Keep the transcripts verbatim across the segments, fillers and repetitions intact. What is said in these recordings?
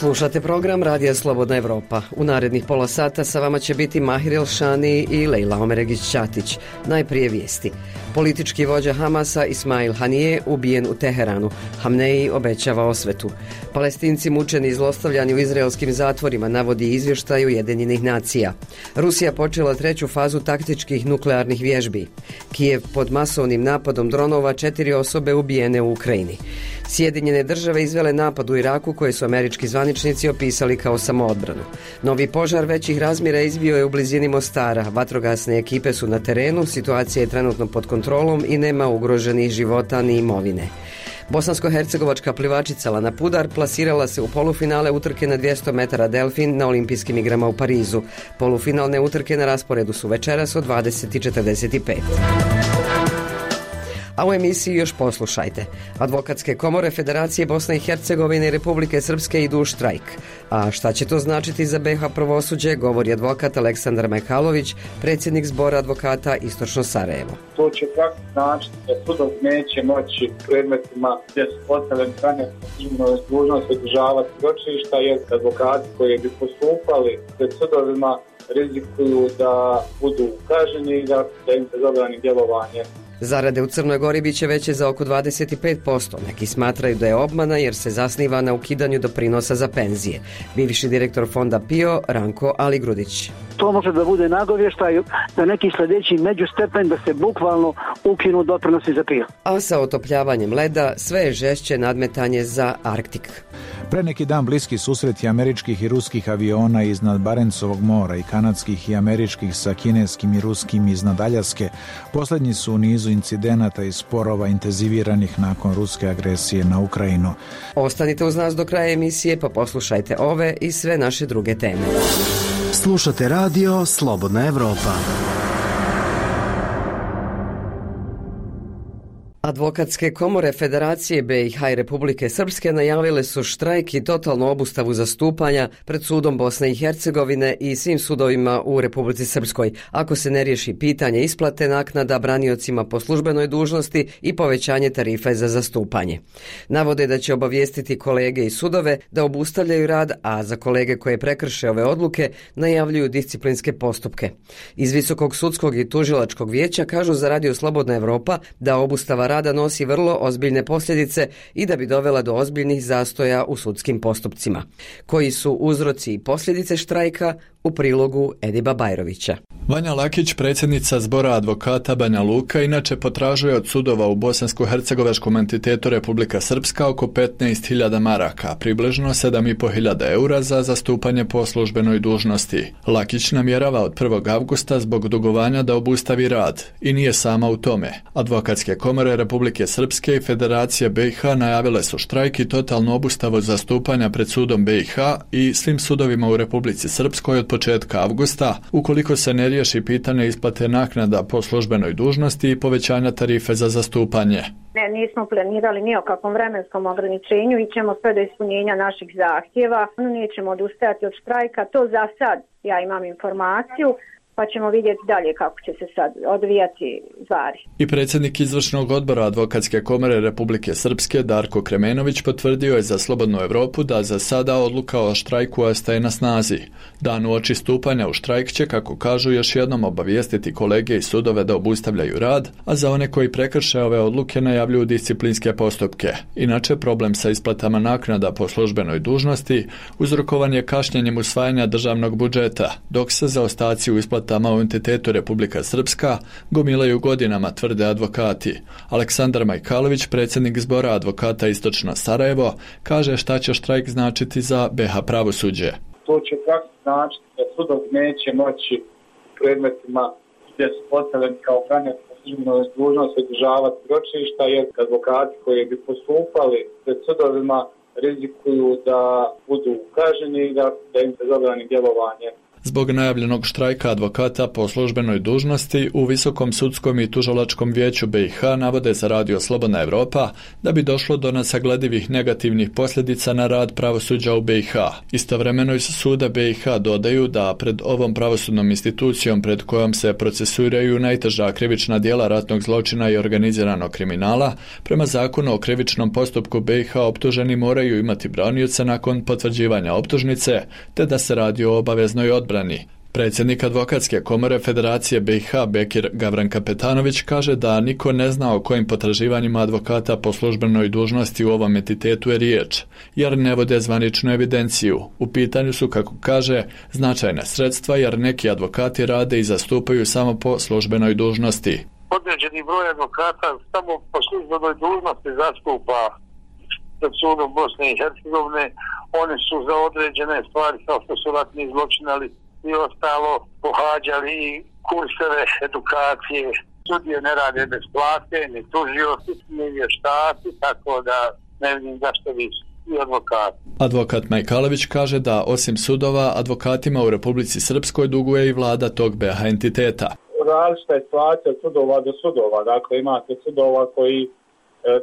Slušate program Radija Slobodna Evropa. U narednih pola sata sa vama će biti Mahir Elšani i Lejla Omeregić-Ćatić. Najprije vijesti. Politički vođa Hamasa Ismail Hanije ubijen u Teheranu. Hamneji obećava osvetu. Palestinci mučeni i zlostavljani u izraelskim zatvorima, navodi izvještaj Ujedinjenih nacija. Rusija počela treću fazu taktičkih nuklearnih vježbi. Kijev pod masovnim napadom dronova, četiri osobe ubijene u Ukrajini. Sjedinjene države izvele napad u Iraku koje su američki zvaničnici opisali kao samoodbranu. Novi požar većih razmjera izbio je u blizini Mostara. Vatrogasne ekipe su na terenu, situacija je trenutno pod kontrolom i nema ugroženih života ni imovine. Bosansko-hercegovačka plivačica Lana Pudar plasirala se u polufinale utrke na dvjesto metara delfin na olimpijskim igrama u Parizu. Polufinalne utrke na rasporedu su večeras od dvadeset i četrdeset pet. A u emisiji još poslušajte. Advokatske komore Federacije Bosne i Hercegovine i Republike Srpske idu u štrajk. A šta će to značiti za be ha pravosuđe, govori advokat Aleksandar Majkalović, predsjednik zbora advokata Istočno Sarajevo. To će praktično značiti da sudov neće moći predmetima gdje su postavljeni strane dužnost održavati ročišta, jer advokati koji bi postupali pred sudovima rizikuju da budu kažnjeni i da, da im se zabrani djelovanje. Zarade u Crnoj Gori bit će veće za oko dvadeset pet posto. Neki smatraju da je obmana jer se zasniva na ukidanju doprinosa za penzije. Bivši direktor fonda P I O Ranko Aligrudić. To može da bude nagovještaj na neki sljedeći međustepen da se bukvalno ukinu doprinosi za P I O. A sa otopljavanjem leda sve je žešće nadmetanje za Arktik. Pre neki dan bliski susreti američkih i ruskih aviona iznad Barencovog mora i kanadskih i američkih sa kineskim i ruskim iznad Aljaske posljednji su u nizu incidenata i sporova intenziviranih nakon ruske agresije na Ukrajinu. Ostanite uz nas do kraja emisije pa poslušajte ove i sve naše druge teme. Slušate radio Slobodna Evropa. Advokatske komore Federacije be i ha i Republike Srpske najavile su štrajk i totalnu obustavu zastupanja pred sudom Bosne i Hercegovine i svim sudovima u Republici Srpskoj, ako se ne riješi pitanje isplate naknada braniocima po službenoj dužnosti i povećanje tarife za zastupanje. Navode da će obavijestiti kolege i sudove da obustavljaju rad, a za kolege koje prekrše ove odluke najavljuju disciplinske postupke. Iz Visokog sudskog i tužilačkog vijeća kažu za Radio Slobodna Evropa da obustava rada nosi vrlo ozbiljne posljedice i da bi dovela do ozbiljnih zastoja u sudskim postupcima. Koji su uzroci i posljedice štrajka u prilogu Ediba Bajrovića. Vanja Lakić, predsjednica zbora advokata Banja Luka, inače potražuje od sudova u bosansko-hercegovačkom entitetu Republika Srpska oko petnaest hiljada maraka, približno sedam i po hiljada eura za zastupanje po službenoj dužnosti. Lakić namjerava od prvog avgusta zbog dugovanja da obustavi rad i nije sama u tome. Advokatske komore Republike Srpske i Federacije be i ha najavile su štrajk i totalnu obustavu zastupanja pred sudom be i ha i svim sudovima u Republici Srpskoj od početka avgusta, ukoliko se ne riješi pitanje isplate naknada po službenoj dužnosti i povećanja tarife za zastupanje. Ne, nismo planirali ni o kakvom vremenskom ograničenju i ćemo sve do ispunjenja naših zahtjeva. Nećemo odustajati od štrajka, to za sad ja imam informaciju, pa ćemo vidjeti dalje kako će se sad odvijati stvari. I predsjednik izvršnog odbora Advokatske komore Republike Srpske Darko Kremenović potvrdio je za Slobodnu Evropu da za sada odluka o štrajku ostaje na snazi. Dan uoči stupanja u štrajk će, kako kažu, još jednom obavijestiti kolege i sudove da obustavljaju rad, a za one koji prekrše ove odluke najavljuju disciplinske postupke. Inače, problem sa isplatama naknada po službenoj dužnosti uzrokovan je kašnjenjem usvajanja državnog budžeta, dok se zaostaci u isplati tamo u entitetu Republika Srpska gomilaju godinama, tvrde advokati. Aleksandar Majkalović, predsjednik zbora advokata Istočno Sarajevo, kaže šta će štrajk značiti za be ha pravosuđe. To će praktično značiti da sudov neće moći predmetima gdje su postavljeni kao branioci po službenoj dužnosti održavati ročišta, jer advokati koji bi postupali pred sudovima rizikuju da budu kažnjeni i da, da im se zabrani djelovanje. zbog najavljenog štrajka advokata po službenoj dužnosti u Visokom sudskom i tužilačkom vijeću B i H navode za radio Slobodna Evropa da bi došlo do nesagledivih negativnih posljedica na rad pravosuđa u B i H. Istovremeno iz suda B i H dodaju da pred ovom pravosudnom institucijom pred kojom se procesuiraju najteža krivična djela ratnog zločina i organiziranog kriminala, prema zakonu o krivičnom postupku B i H optuženi moraju imati branioca nakon potvrđivanja optužnice, te da se radi o obaveznoj odbrani. Predsjednik advokatske komore Federacije B i H Bekir Gavran-Kapetanović kaže da niko ne zna o kojim potraživanjima advokata po službenoj dužnosti u ovom entitetu je riječ, jer ne vode zvaničnu evidenciju. U pitanju su, kako kaže, značajna sredstva jer neki advokati rade i zastupaju samo po službenoj dužnosti. Određeni broj advokata samo po službenoj dužnosti zastupa pred sudom Bosne i Hercegovine. Oni su za određene stvari kao što su ratni zločinali i ostalo pohađali i kurseve edukacije. Sudije ne rade bez plate, ni tužioci, ni vještaci, tako da ne vidim zašto bi i advokati. Advokat Majkalović kaže da osim sudova, advokatima u Republici Srpskoj duguje i vlada tog B i H entiteta. Različita je situacija od sudova do sudova. Dakle, imate sudova koji e,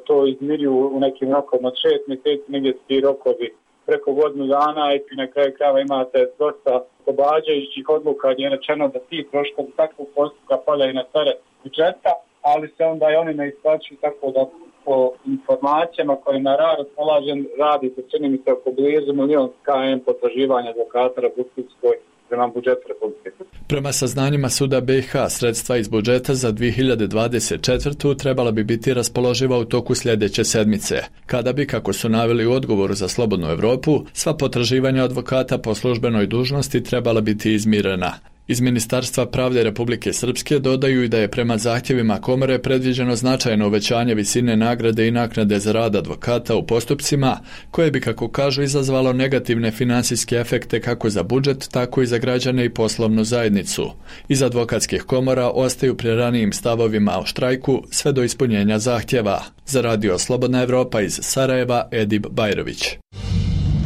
to izmiruju u nekim rokom od šest mjeseci, negdje ti rokovi preko godinu dana i na kraju krajeva imate dosta oslobađajućih odluka gdje je rečeno da ti troškovi takvog postupka padaju na teret budžeta, ali se onda i oni ne isplaćuju, tako da po informacijama kojima raspolažem radi se čini mi se oko blizu milion km potraživanja advokata Republikskoj prema budžetu Republike. Prema saznanjima suda B i H, sredstva iz budžeta za dvije hiljade dvadeset četvrtu trebala bi biti raspoloživa u toku sljedeće sedmice, kada bi, kako su naveli u odgovoru za Slobodnu Evropu, sva potraživanja advokata po službenoj dužnosti trebala biti izmirena. Iz Ministarstva pravde Republike Srpske dodaju i da je prema zahtjevima komore predviđeno značajno uvećanje visine nagrade i naknade za rad advokata u postupcima, koje bi, kako kažu, izazvalo negativne financijske efekte kako za budžet, tako i za građane i poslovnu zajednicu. Iz advokatskih komora ostaju pri ranijim stavovima o štrajku sve do ispunjenja zahtjeva. Za radio Slobodna Evropa iz Sarajeva, Edib Bajrović.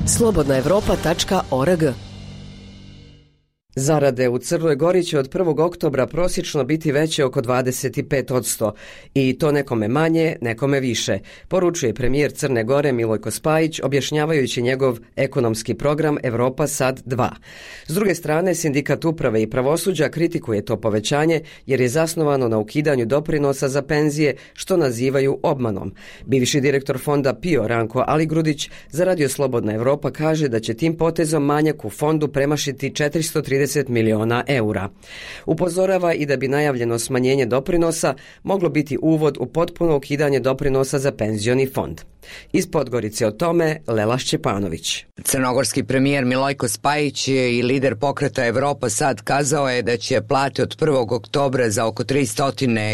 slobodna evropa tačka org. Zarade u Crnoj Gori će od prvog oktobra prosječno biti veće oko dvadeset pet posto i to nekome manje, nekome više, poručuje premijer Crne Gore Milojko Spajić objašnjavajući njegov ekonomski program Evropa Sad dva. S druge strane, Sindikat uprave i pravosuđa kritikuje to povećanje jer je zasnovano na ukidanju doprinosa za penzije, što nazivaju obmanom. Bivši direktor fonda P I O Ranko Aligrudić za radio Slobodna Evropa kaže da će tim potezom manjak u fondu premašiti četiristo trideset miliona eura. Upozorava i da bi najavljeno smanjenje doprinosa moglo biti uvod u potpuno ukidanje doprinosa za penzioni fond. Iz Podgorice o tome Lela Šćepanović. Crnogorski premijer Milojko Spajić i lider pokreta Evropa Sad kazao je da će plate od prvog oktobra za oko tristo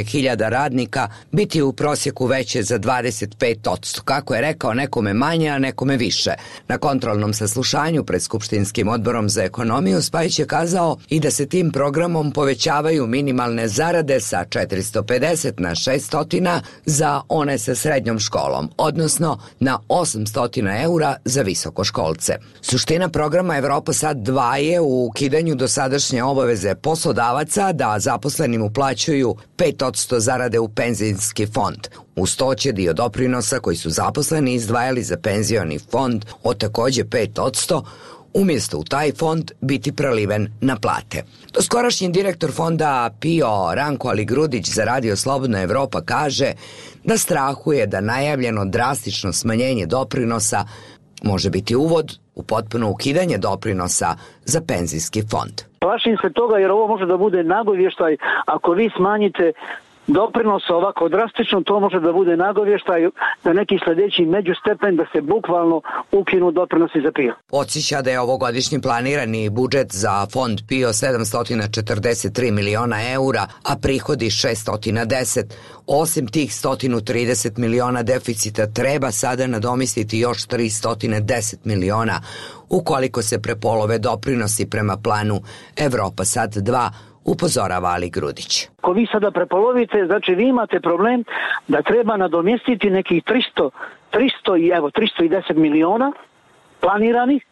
hiljada radnika biti u prosjeku veće za dvadeset pet posto. Kako je rekao, nekome manje, a nekome više. Na kontrolnom saslušanju pred Skupštinskim odborom za ekonomiju Spajić je kazao i da se tim programom povećavaju minimalne zarade sa četiristo pedeset na šesto za one sa srednjom školom, odnosno na osamsto eura za visokoškolce. Suština programa Evropa Sad dva je u ukidanju dosadašnje obaveze poslodavaca da zaposlenim uplaćuju pet posto zarade u penzijski fond. Uz to će dio doprinosa koji su zaposleni izdvajali za penzioni fond od također pet posto umjesto u taj fond biti preliven na plate. Doskorašnji direktor fonda P I O Ranko Aligrudić za radio Slobodna Evropa kaže da strahuje da najavljeno drastično smanjenje doprinosa može biti uvod u potpuno ukidanje doprinosa za penzijski fond. Plašim se toga jer ovo može da bude nagovještaj ako vi smanjite doprinos ovako drastično, to može da bude nagovještaj za neki sljedeći međustepen da se bukvalno ukinu doprinosi za P I O. Podsjeća da je ovogodišnji planirani budžet za fond P I O sedamsto četrdeset tri miliona eura, a prihodi šesto deset. Osim tih sto trideset miliona deficita treba sada nadomestiti još tristo deset miliona ukoliko se prepolove doprinosi prema planu Evropa Sad dva, upozorava Aligrudić. Ako vi sada prepolovite, znači vi imate problem da treba nadomjestiti nekih tristo, tristo i evo tristo deset miliona planiranih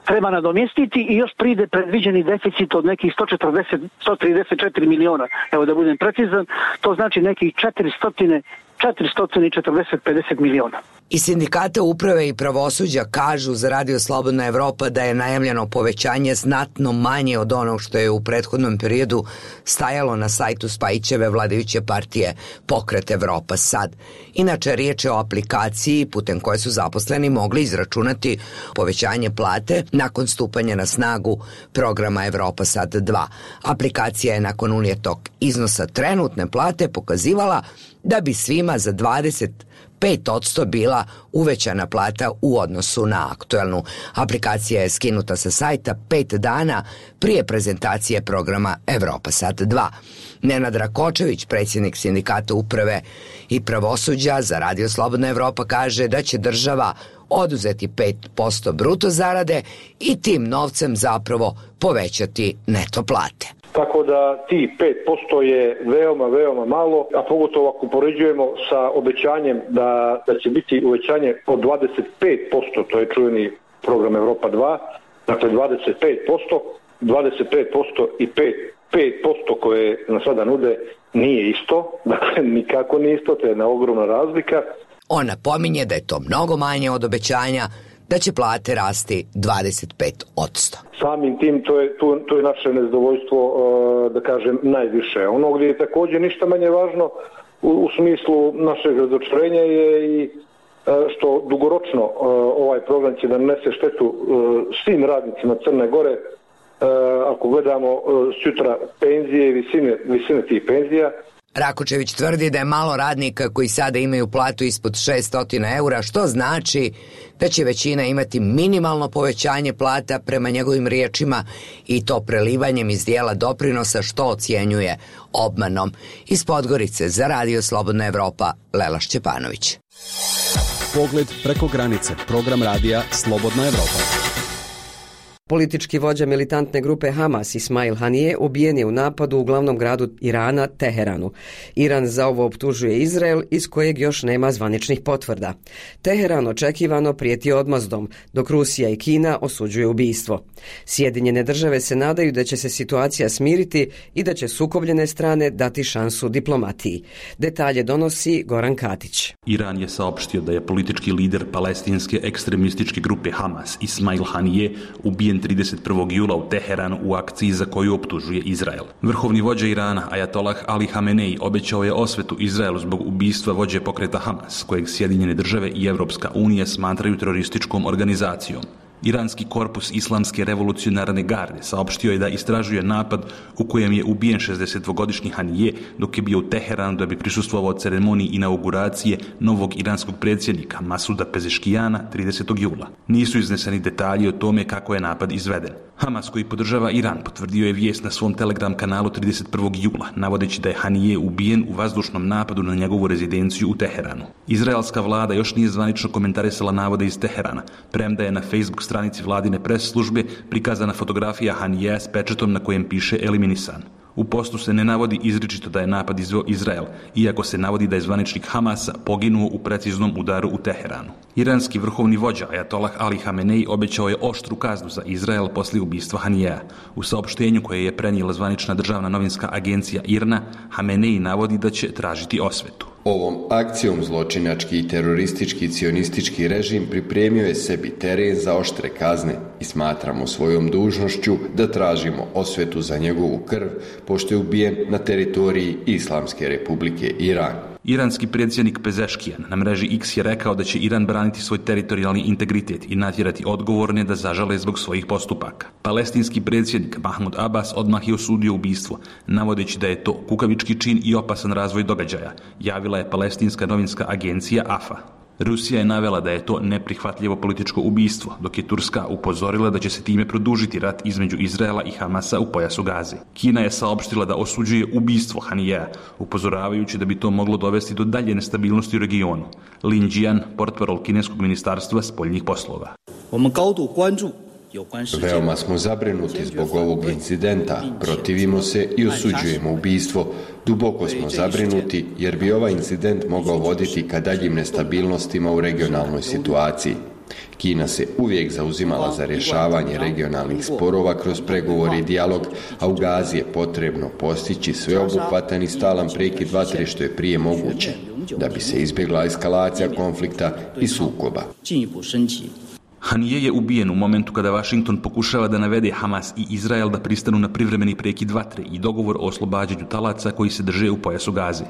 treba nadomjestiti i još pride predviđeni deficit od nekih sto četrdeset, sto trideset četiri miliona, evo da budem precizan, to znači nekih četiristo, četiristo četrdeset, pedeset miliona. I sindikata uprave i pravosuđa kažu za Radio Slobodna Evropa da je najavljeno povećanje znatno manje od onog što je u prethodnom periodu stajalo na sajtu Spajićeve vladajuće partije Pokret Evropa sad. Inače, riječ je o aplikaciji putem koje su zaposleni mogli izračunati povećanje plate nakon stupanja na snagu programa Evropa sad dva. Aplikacija je nakon unijetog iznosa trenutne plate pokazivala da bi svima za dvadeset pet posto bila uvećana plata u odnosu na aktuelnu. Aplikacija je skinuta sa sajta pet dana prije prezentacije programa Evropa sad dva. Nenad Rakočević, predsjednik sindikata uprave i pravosuđa za Radio Slobodna Evropa, kaže da će država oduzeti pet posto bruto zarade i tim novcem zapravo povećati neto plate. Tako da ti pet posto je veoma, veoma malo, a pogotovo ako poređujemo sa obećanjem da, da će biti uvećanje od dvadeset pet posto, to je čuveni program Evropa dva, dakle dvadeset pet posto, dvadeset pet posto i pet posto koje na sada nude nije isto, dakle nikako nije isto, to je jedna ogromna razlika. On napominje da je to mnogo manje od obećanja, da će plate rasti dvadeset pet posto. Samim tim to je, to, to je naše nezadovoljstvo, da kažem, najviše. Ono gdje je također ništa manje važno u, u smislu našeg razočarenja je i što dugoročno ovaj program će da nanese štetu svim radnicima Crne Gore. Ako gledamo sutra penzije i visine, visine tih penzija. Rakočević tvrdi da je malo radnika koji sada imaju platu ispod šesto eura, što znači da će većina imati minimalno povećanje plata prema njegovim riječima i to prelivanjem iz dijela doprinosa, što ocjenjuje obmanom. Iz Podgorice za Radio Slobodna Evropa, Lela Šćepanović. Pogled preko granice, program radija Slobodna Evropa. Politički vođa militantne grupe Hamas Ismail Hanije ubijen je u napadu u glavnom gradu Irana, Teheranu. Iran za ovo optužuje Izrael, iz kojeg još nema zvaničnih potvrda. Teheran očekivano prijeti odmazdom, dok Rusija i Kina osuđuje ubijstvo. Sjedinjene države se nadaju da će se situacija smiriti i da će sukobljene strane dati šansu diplomatiji. Detalje donosi Goran Katić. Iran je saopštio da je politički lider palestinske ekstremističke grupe Hamas Ismail Hanije ubijen trideset prvog jula u Teheranu u akciji za koju optužuje Izrael. Vrhovni vođa Irana, Ajatolah Ali Hamenei, obećao je osvetu Izraelu zbog ubistva vođe pokreta Hamas, kojeg Sjedinjene države i Evropska unija smatraju terorističkom organizacijom. Iranski korpus Islamske revolucionarne garde saopštio je da istražuje napad u kojem je ubijen šezdesetdvogodišnji Hanije dok je bio u Teheranu da bi prisustvovao ceremoniji inauguracije novog iranskog predsjednika Masuda Pezeškijana tridesetog jula. Nisu izneseni detalji o tome kako je napad izveden. Hamas, koji podržava Iran, potvrdio je vijest na svom Telegram kanalu trideset prvog jula, navodeći da je Hanije ubijen u vazdušnom napadu na njegovu rezidenciju u Teheranu. Izraelska vlada još nije zvanično komentarisala navode iz Teherana, premda je na Facebook stranici vladine pres službe prikazana fotografija Hanijeja s pečetom na kojem piše eliminisan. U postu se ne navodi izričito da je napad izveo Izrael, iako se navodi da je zvaničnik Hamasa poginuo u preciznom udaru u Teheranu. Iranski vrhovni vođa Ajatolah Ali Hamenei obećao je oštru kaznu za Izrael poslije ubistva Hanijeja. U saopštenju koje je prenijela zvanična državna novinska agencija I R N A, Hamenei navodi da će tražiti osvetu. Ovom akcijom zločinački i teroristički cionistički režim pripremio je sebi teren za oštre kazne i smatramo svojom dužnošću da tražimo osvetu za njegovu krv, pošto je ubijen na teritoriji Islamske republike Iran. Iranski predsjednik Pezeškijan na mreži X je rekao da će Iran braniti svoj teritorijalni integritet i natjerati odgovorne da zažale zbog svojih postupaka. Palestinski predsjednik Mahmud Abbas odmah je osudio ubistvo, navodeći da je to kukavički čin i opasan razvoj događaja, javila je palestinska novinska agencija A F A. Rusija je navela da je to neprihvatljivo političko ubistvo, dok je Turska upozorila da će se time produžiti rat između Izraela i Hamasa u pojasu Gaze. Kina je saopštila da osuđuje ubistvo Hanijeja, upozoravajući da bi to moglo dovesti do dalje nestabilnosti u regionu. Lin Jian, portparol kineskog ministarstva spoljnih poslova. Veoma smo zabrinuti zbog ovog incidenta, protivimo se i osuđujemo ubistvo. Duboko smo zabrinuti jer bi ovaj incident mogao voditi ka daljim nestabilnostima u regionalnoj situaciji. Kina se uvijek zauzimala za rješavanje regionalnih sporova kroz pregovore i dijalog, a u Gazi je potrebno postići sveobuhvatan i stalan prekid vatre što je prije moguće, da bi se izbjegla eskalacija konflikta i sukoba. Hanije je ubijen u momentu kada Washington pokušava da navede Hamas i Izrael da pristanu na privremeni prekid vatre i dogovor o oslobađanju talaca koji se drže u pojasu Gaze.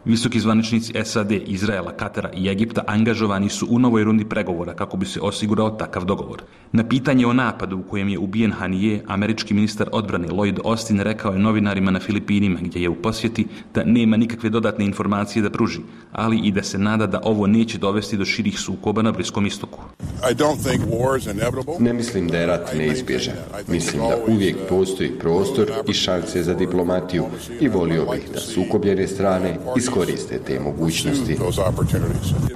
Visoki zvaničnici S A D, Izraela, Katara i Egipta angažovani su u novoj rundi pregovora kako bi se osigurao takav dogovor. Na pitanje o napadu u kojem je ubijen Hanije, američki ministar odbrane Lloyd Austin rekao je novinarima na Filipinima, gdje je u posjeti, da nema nikakve dodatne informacije da pruži, ali i da se nada da ovo neće dovesti do širih sukoba na Bliskom istoku. Ne mislim da je rat neizbježan. Mislim da uvijek postoji prostor i šanse za diplomatiju i volio bih da sukobljene strane iskoriste te mogućnosti.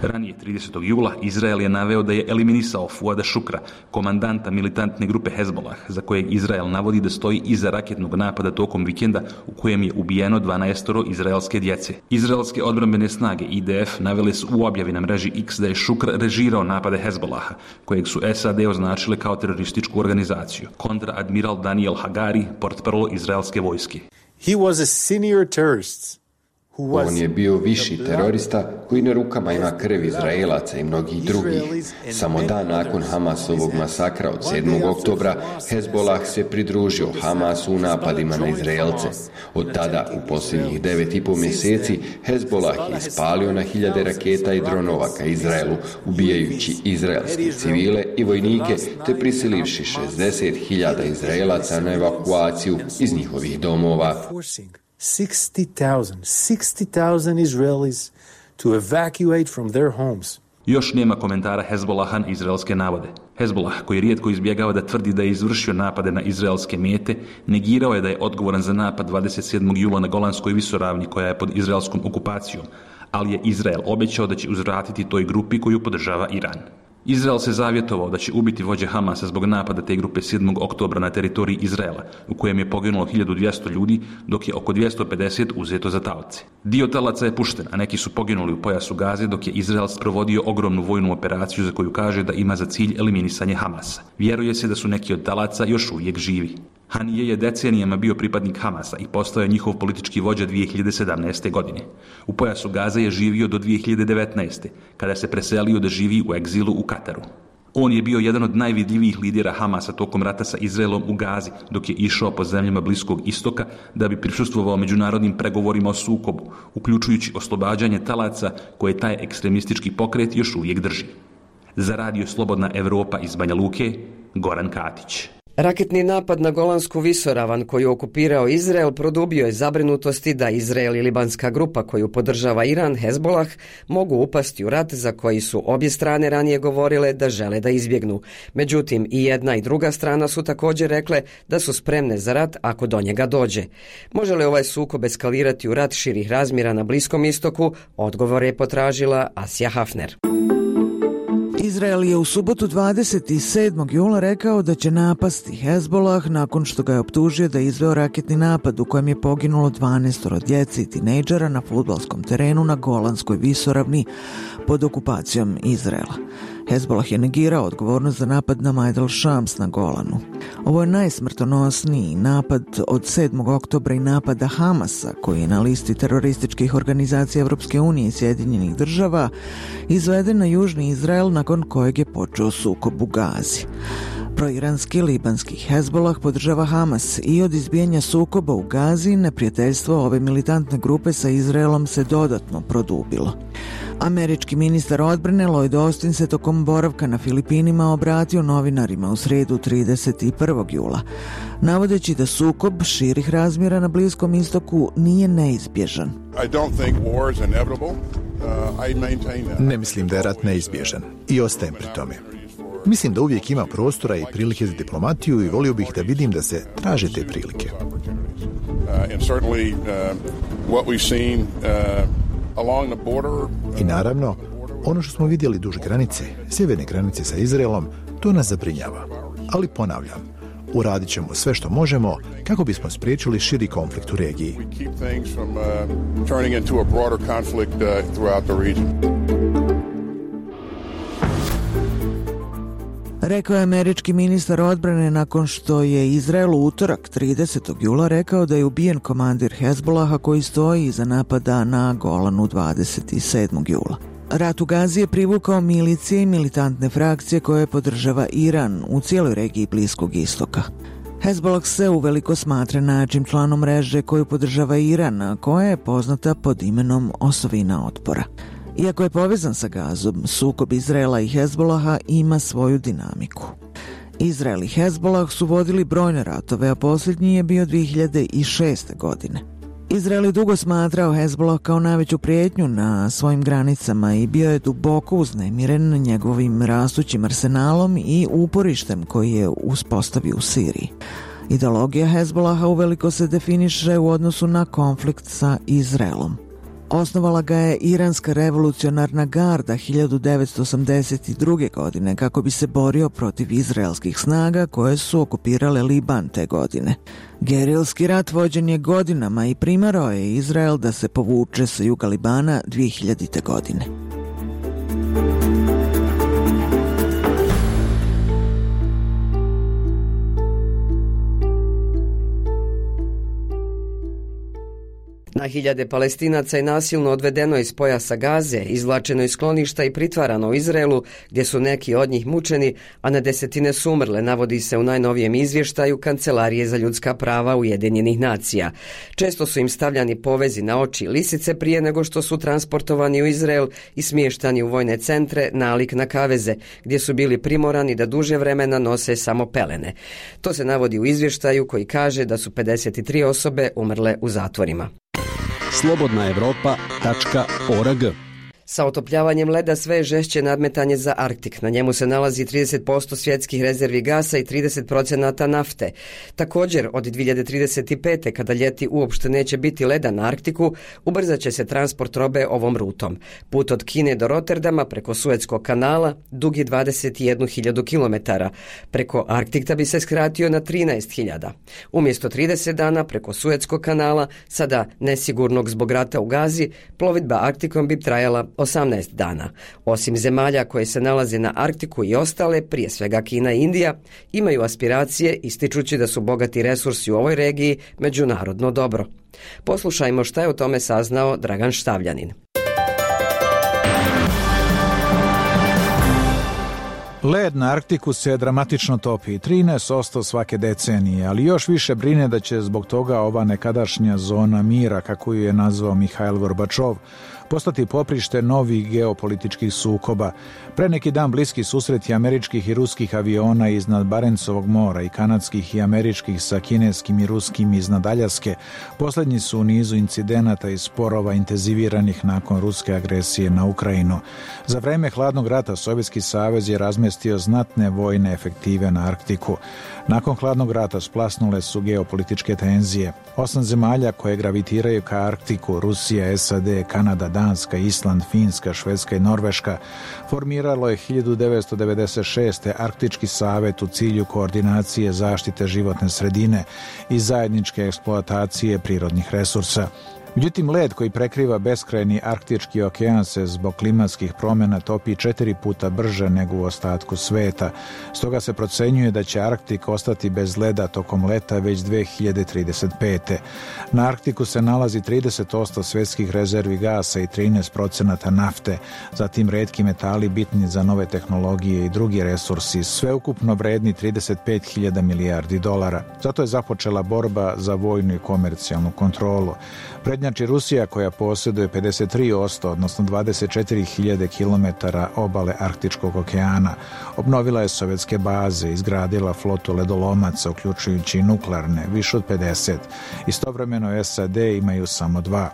Ranije tridesetog jula Izrael je naveo da je eliminisao Fuada Šukra, komandanta militantne grupe Hezbollah, za kojeg Izrael navodi da stoji iza raketnog napada tokom vikenda u kojem je ubijeno dvanaestoro izraelske djece. Izraelske odbrambene snage I D F navele su u objavi na mreži X da je Šukr režirao napade Hezbollaha, kojeg su S A D označile kao terorističku organizaciju. Kontraadmiral Daniel Hagari, portparol izraelske vojske. He was a senior terrorist. On je bio viši terorista koji na rukama ima krv Izraelaca i mnogih drugih. Samo dan nakon Hamasovog masakra od sedmog oktobra, Hezbollah se pridružio Hamasu u napadima na Izraelce. Od tada, u posljednjih devet i po mjeseci, Hezbollah je ispalio na hiljade raketa i dronova ka Izraelu, ubijajući izraelske civile i vojnike, te prisilivši šezdeset hiljada Izraelaca na evakuaciju iz njihovih domova. sixty thousand, sixty thousand Israelis to evacuate from their homes. Još nema komentara Hezbollaha na izraelske navode. Hezbollah, koji rijetko izbjegava da tvrdi da je izvršio napade na izraelske mete, negirao je da je odgovoran za napad dvadeset sedmog jula na Golanskoj visoravni koja je pod izraelskom okupacijom, ali je Izrael obećao da će uzvratiti toj grupi koju podržava Iran. Izrael se zavjetovao da će ubiti vođe Hamasa zbog napada te grupe sedmog oktobra na teritoriji Izraela, u kojem je poginulo hiljadu dvjesto ljudi, dok je oko dvjesto pedeset uzeto za taoce. Dio talaca je pušten, a neki su poginuli u pojasu Gaze, dok je Izrael sprovodio ogromnu vojnu operaciju za koju kaže da ima za cilj eliminisanje Hamasa. Vjeruje se da su neki od talaca još uvijek živi. Hanije je decenijama bio pripadnik Hamasa i postao je njihov politički vođa dvije hiljade sedamnaeste. godine. U pojasu Gaze je živio do dvije hiljade devetnaeste. kada se preselio da živi u egzilu u Kataru. On je bio jedan od najvidljivijih lidera Hamasa tokom rata sa Izraelom u Gazi, dok je išao po zemljama Bliskog istoka da bi prisustvovao međunarodnim pregovorima o sukobu, uključujući oslobađanje talaca koje taj ekstremistički pokret još uvijek drži. Za radio Slobodna Evropa iz Banja Luke, Goran Katić. Raketni napad na Golansku visoravan koju okupirao Izrael produbio je zabrinutosti da Izrael i libanska grupa koju podržava Iran, Hezbollah, mogu upasti u rat za koji su obje strane ranije govorile da žele da izbjegnu. Međutim, i jedna i druga strana su također rekle da su spremne za rat ako do njega dođe. Može li ovaj sukob eskalirati u rat širih razmjera na Bliskom istoku? Odgovor je potražila Asja Hafner. Izrael je u subotu dvadeset sedmog jula rekao da će napasti Hezbollah nakon što ga je optužio da je izveo raketni napad u kojem je poginulo dvanaestoro djece i tinejdžera na fudbalskom terenu na Golanskoj visoravni pod okupacijom Izraela. Hezbollah je negirao odgovornost za napad na Majdal Shams na Golanu. Ovo je najsmrtonosniji napad od sedmog oktobra i napada Hamasa, koji je na listi terorističkih organizacija Evropske unije i Sjedinjenih država, izveden na južni Izrael nakon kojeg je počeo sukob u Gazi. Proiranski libanski Hezbollah podržava Hamas i od izbijanja sukoba u Gazi neprijateljstvo ove militantne grupe sa Izraelom se dodatno produbilo. Američki ministar odbrane Lloyd Austin se tokom boravka na Filipinima obratio novinarima u srijedu trideset prvog jula, navodeći da sukob širih razmjera na Bliskom istoku nije neizbježan. Ne mislim da je rat neizbježan i ostajem pri tome. Mislim da uvijek ima prostora i prilike za diplomatiju i volio bih da vidim da se traže te prilike. I naravno, ono što smo vidjeli duž granice, sjeverne granice sa Izraelom, to nas zabrinjava. Ali ponavljam, uradit ćemo sve što možemo kako bismo spriječili širi konflikt u regiji. Rekao je američki ministar odbrane nakon što je Izrael u utorak tridesetog jula rekao da je ubijen komandir Hezbolaha koji stoji iza napada na Golanu dvadeset sedmog jula. Rat u Gazi je privukao milicije i militantne frakcije koje podržava Iran u cijeloj regiji Bliskog istoka. Hezbolah se uveliko smatra najjačim članom mreže koju podržava Iran, a koja je poznata pod imenom Osovina otpora. Iako je povezan sa Gazom, sukob Izraela i Hezbolaha ima svoju dinamiku. Izrael i Hezbolah su vodili brojne ratove, a posljednji je bio dvije hiljade šeste. godine. Izrael je dugo smatrao Hezbolah kao najveću prijetnju na svojim granicama i bio je duboko uznemiren njegovim rastućim arsenalom i uporištem koji je uspostavio u Siriji. Ideologija Hezbolaha uveliko se definiše u odnosu na konflikt sa Izraelom. Osnovala ga je Iranska revolucionarna garda hiljadu devetsto osamdeset druge. godine kako bi se borio protiv izraelskih snaga koje su okupirale Liban te godine. Gerilski rat vođen je godinama i primarao je Izrael da se povuče sa juga Libana dvije hiljadite. godine. Na hiljade Palestinaca je nasilno odvedeno iz pojasa Gaze, izvlačeno iz skloništa i pritvarano u Izraelu, gdje su neki od njih mučeni, a na desetine su umrle, navodi se u najnovijem izvještaju Kancelarije za ljudska prava Ujedinjenih nacija. Često su im stavljani povezi na oči lisice prije nego što su transportovani u Izrael i smještani u vojne centre nalik na kaveze, gdje su bili primorani da duže vremena nose samo pelene. To se navodi u izvještaju koji kaže da su pedeset tri osobe umrle u zatvorima. slobodna evropa tačka org. Sa otopljavanjem leda sve je žešće nadmetanje za Arktik. Na njemu se nalazi trideset posto svjetskih rezervi gasa i trideset procenata nafte. Također, od dvije hiljade trideset pete. kada ljeti uopšte neće biti leda na Arktiku, ubrzat će se transport robe ovom rutom. Put od Kine do Rotterdama preko Suetskog kanala dug je dvadeset jednu hiljadu kilometara. Preko Arktikta bi se skratio na trinaest hiljada. Umjesto trideset dana preko Suetskog kanala, sada nesigurnog zbog rata u Gazi, plovidba Arktikom bi trajala osamnaest dana. Osim zemalja koje se nalaze na Arktiku i ostale, prije svega Kina i Indija, imaju aspiracije ističući da su bogati resursi u ovoj regiji međunarodno dobro. Poslušajmo šta je o tome saznao Dragan Štavljanin. Led na Arktiku se dramatično topi, trinaest posto svake decenije, ali još više brine da će zbog toga ova nekadašnja zona mira, kako ju je nazvao Mihajl Gorbačov, postati poprište novih geopolitičkih sukoba. Pre neki dan bliski susreti američkih i ruskih aviona iznad Barencovog mora i kanadskih i američkih sa kineskim i ruskim iznad Aljaske posljednji su u nizu incidenata i sporova intenziviranih nakon ruske agresije na Ukrajinu. Za vreme hladnog rata Sovjetski savez je razmestio znatne vojne efektive na Arktiku. Nakon hladnog rata splasnule su geopolitičke tenzije. Osam zemalja koje gravitiraju ka Arktiku, Rusija, S A D, Kanada, Danska, Island, Finska, Švedska i Norveška, formiralo je hiljadu devetsto devedeset šeste. Arktički savet u cilju koordinacije zaštite životne sredine i zajedničke eksploatacije prirodnih resursa. Međutim, led koji prekriva beskrajni Arktički okean se zbog klimatskih promjena topi četiri puta brže nego u ostatku sveta. Stoga se procenjuje da će Arktik ostati bez leda tokom leta već dvije hiljade trideset pete. Na Arktiku se nalazi trideset posto svjetskih rezervi gasa i trinaest procenata nafte, zatim retki metali bitni za nove tehnologije i drugi resursi, sveukupno vredni trideset pet hiljada milijardi dolara. Zato je započela borba za vojnu i komercijalnu kontrolu. Prednjači Rusija koja posjeduje pedeset tri posto, odnosno dvadeset četiri hiljade kilometara obale Arktičkog okeana. Obnovila je sovjetske baze, izgradila flotu ledolomaca, uključujući i nuklearne, više od pedeset. Istovremeno S A D imaju samo dva.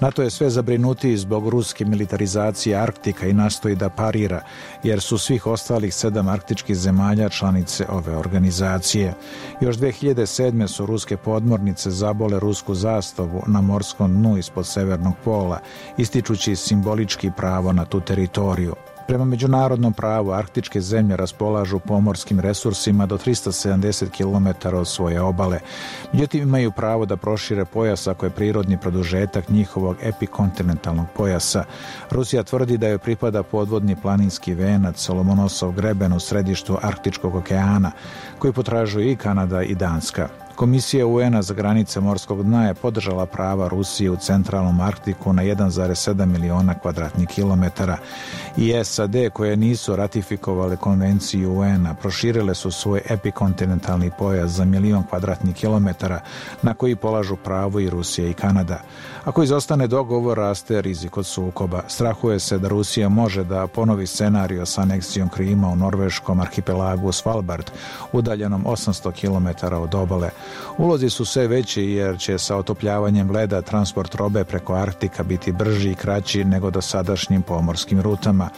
NATO je sve zabrinutiji zbog ruske militarizacije Arktika i nastoji da parira, jer su svih ostalih sedam arktičkih zemalja članice ove organizacije. Još dvije hiljade sedme. su ruske podmornice zabole rusku zastavu na morskom dnu ispod severnog pola, ističući simbolički pravo na tu teritoriju. Prema međunarodnom pravu, arktičke zemlje raspolažu pomorskim resursima do trista sedamdeset kilometara od svoje obale. Međutim, imaju pravo da prošire pojas ako je prirodni produžetak njihovog epikontinentalnog pojasa. Rusija tvrdi da joj pripada podvodni planinski venac Solomonosov greben u središtu Arktičkog okeana, koji potražuju i Kanada i Danska. Komisija U N-a za granice morskog dna je podržala prava Rusije u centralnom Arktiku na jedan zarez sedam miliona kvadratnih kilometara i S A D, koje nisu ratifikovale konvenciju U N-a, proširile su svoj epikontinentalni pojas za milion kvadratnih kilometara na koji polažu pravo i Rusija i Kanada. Ako izostane dogovor, raste rizik od sukoba. Strahuje se da Rusija može da ponovi scenario sa aneksijom Krima u norveškom arhipelagu Svalbard, udaljenom osamsto kilometara od obale. Ulozi su sve veći jer će sa otopljavanjem leda transport robe preko Arktika biti brži i kraći nego dosadašnjim pomorskim rutama.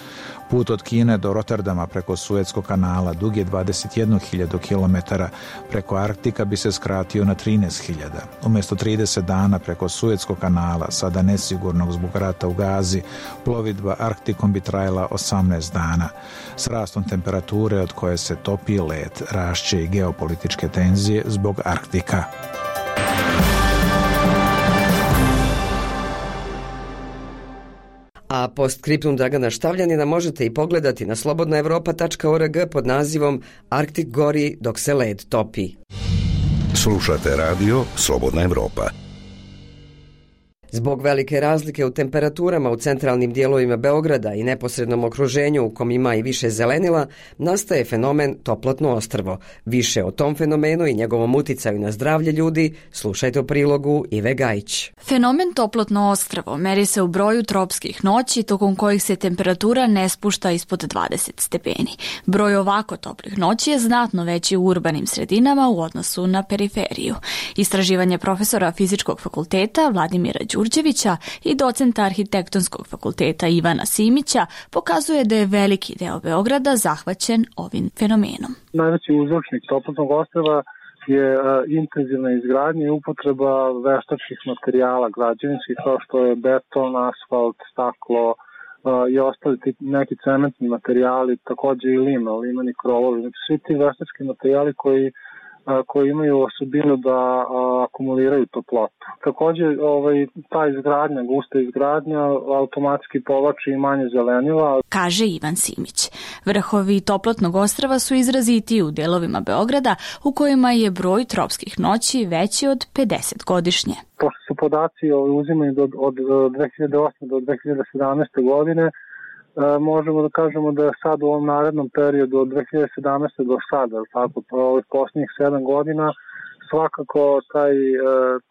Put od Kine do Rotterdama preko Suetskog kanala dug je dvadeset jednu hiljadu kilometara, preko Arktika bi se skratio na trinaest hiljada. Umjesto trideset dana preko Suetskog kanala, sada nesigurnog zbog rata u Gazi, plovidba Arktikom bi trajala osamnaest dana. S rastom temperature od koje se topi led, rašće i geopolitičke tenzije zbog Arktika. A postscriptum Dragana Štavljanina možete i pogledati na slobodna evropa tačka org pod nazivom Arktik gori dok se led topi. Slušate radio Slobodna Evropa. Zbog velike razlike u temperaturama u centralnim dijelovima Beograda i neposrednom okruženju u kom ima i više zelenila, nastaje fenomen toplotno ostrvo. Više o tom fenomenu i njegovom uticaju na zdravlje ljudi slušajte u prilogu Ive Gajić. Fenomen toplotno ostrvo meri se u broju tropskih noći tokom kojih se temperatura ne spušta ispod dvadeset stepeni. Broj ovako toplih noći je znatno veći u urbanim sredinama u odnosu na periferiju. Istraživanje profesora Fizičkog fakulteta Vladimira Đurđevića i docenta Arhitektonskog fakulteta Ivana Simića pokazuje da je veliki deo Beograda zahvaćen ovim fenomenom. Najveći uzročnik toplotnog ostrva je intenzivna izgradnja i upotreba veštačkih materijala građevinskih kao što je beton, asfalt, staklo i ostali neki cementni materijali, također i lima, limani krovovi. Znači, svi ti veštački materijali koji koji imaju osobinu da a, akumuliraju toplotu. Također ovaj, ta izgradnja, gusta izgradnja automatski povlači i manje zelenila. Kaže Ivan Simić. Vrhovi toplotnog ostrva su izrazitiji u delovima Beograda u kojima je broj tropskih noći veći od pedeset godišnje. Pošto su podaci uzimani od, od dve hiljade osme do dve hiljade sedamnaeste godine, možemo da kažemo da je sad u ovom narednom periodu od dve hiljade sedamnaeste do sada, tako, ovih posljednjih sedam godina, svakako taj,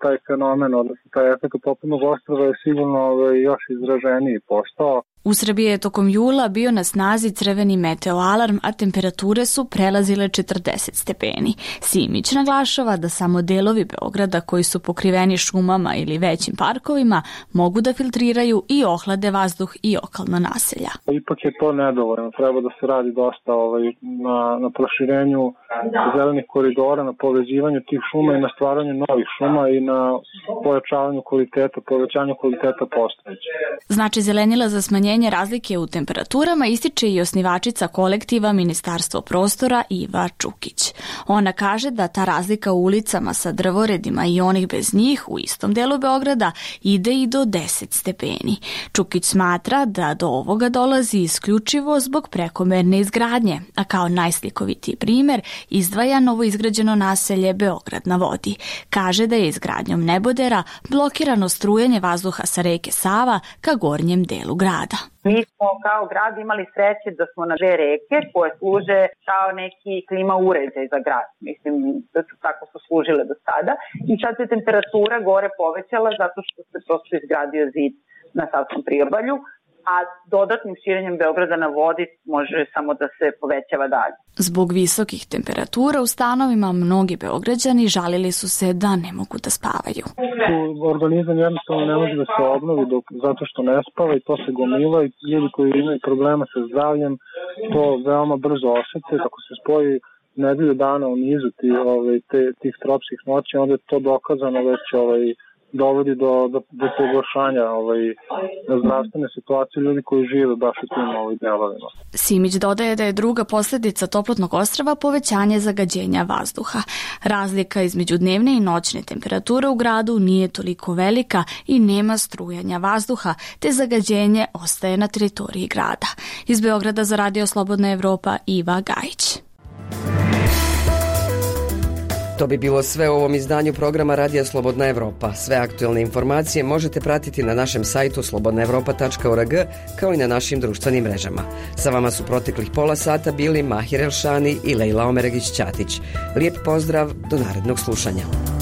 taj fenomen, odnosno taj efekt toplotnog ostrva je sigurno još izraženiji postao. U Srbiji je tokom jula bio na snazi crveni meteoalarm, a temperature su prelazile četrdeset stepeni. Simić naglašava da samo delovi Beograda koji su pokriveni šumama ili većim parkovima mogu da filtriraju i ohlade vazduh i okolna naselja. Ipak je to nedovoljno. Treba da se radi dosta ovaj, na, na proširenju zelenih koridora, na povezivanju tih šuma i na stvaranju novih šuma i na pojačavanju kvaliteta, povećanju kvaliteta postojećih. Znači zelenila za smanjenje razlike u temperaturama ističe i osnivačica kolektiva Ministarstvo prostora Iva Čukić. Ona kaže da ta razlika u ulicama sa drvoredima i onih bez njih u istom delu Beograda ide i do deset stepeni. Čukić smatra da do ovoga dolazi isključivo zbog prekomerne izgradnje, a kao najslikovitiji primjer izdvaja novoizgrađeno naselje Beograd na vodi. Kaže da je izgradnjom nebodera blokirano strujanje vazduha sa reke Sava ka gornjem delu grada. Mi smo kao grad imali sreće da smo na dve reke koje služe kao neki klima uređaj za grad. Mislim da su tako su služile do sada. I sad se temperatura gore povećala zato što se prosto izgradio zid na Savskom priobalju, a dodatnim širenjem Beograda na vodi može samo da se povećava dalje. Zbog visokih temperatura u stanovima mnogi Beograđani žalili su se da ne mogu da spavaju. Organizam jednostavno ne može da se obnovi dok, zato što ne spava i to se gomila i ljudi koji imaju problema sa zdravljem to veoma brzo osjete. Ako se spoji nedelju dana u nizu ti, ovaj, te, tih tropskih noći, onda je to dokazano već ovaj, dovodi do, do, do pogoršanja ovaj, zdravstvene situacije ljudi koji žive baš u tim ovaj, delovima. Simić dodaje da je druga posljedica toplotnog ostrva povećanje zagađenja vazduha. Razlika između dnevne i noćne temperature u gradu nije toliko velika i nema strujanja vazduha, te zagađenje ostaje na teritoriji grada. Iz Beograda za Radio Slobodna Evropa, Iva Gajić. To bi bilo sve u ovom izdanju programa Radija Slobodna Evropa. Sve aktualne informacije možete pratiti na našem sajtu slobodna evropa tačka org kao i na našim društvenim mrežama. Sa vama su proteklih pola sata bili Mahir Elšani i Lejla Omeregić-Ćatić. Lijep pozdrav, do narednog slušanja.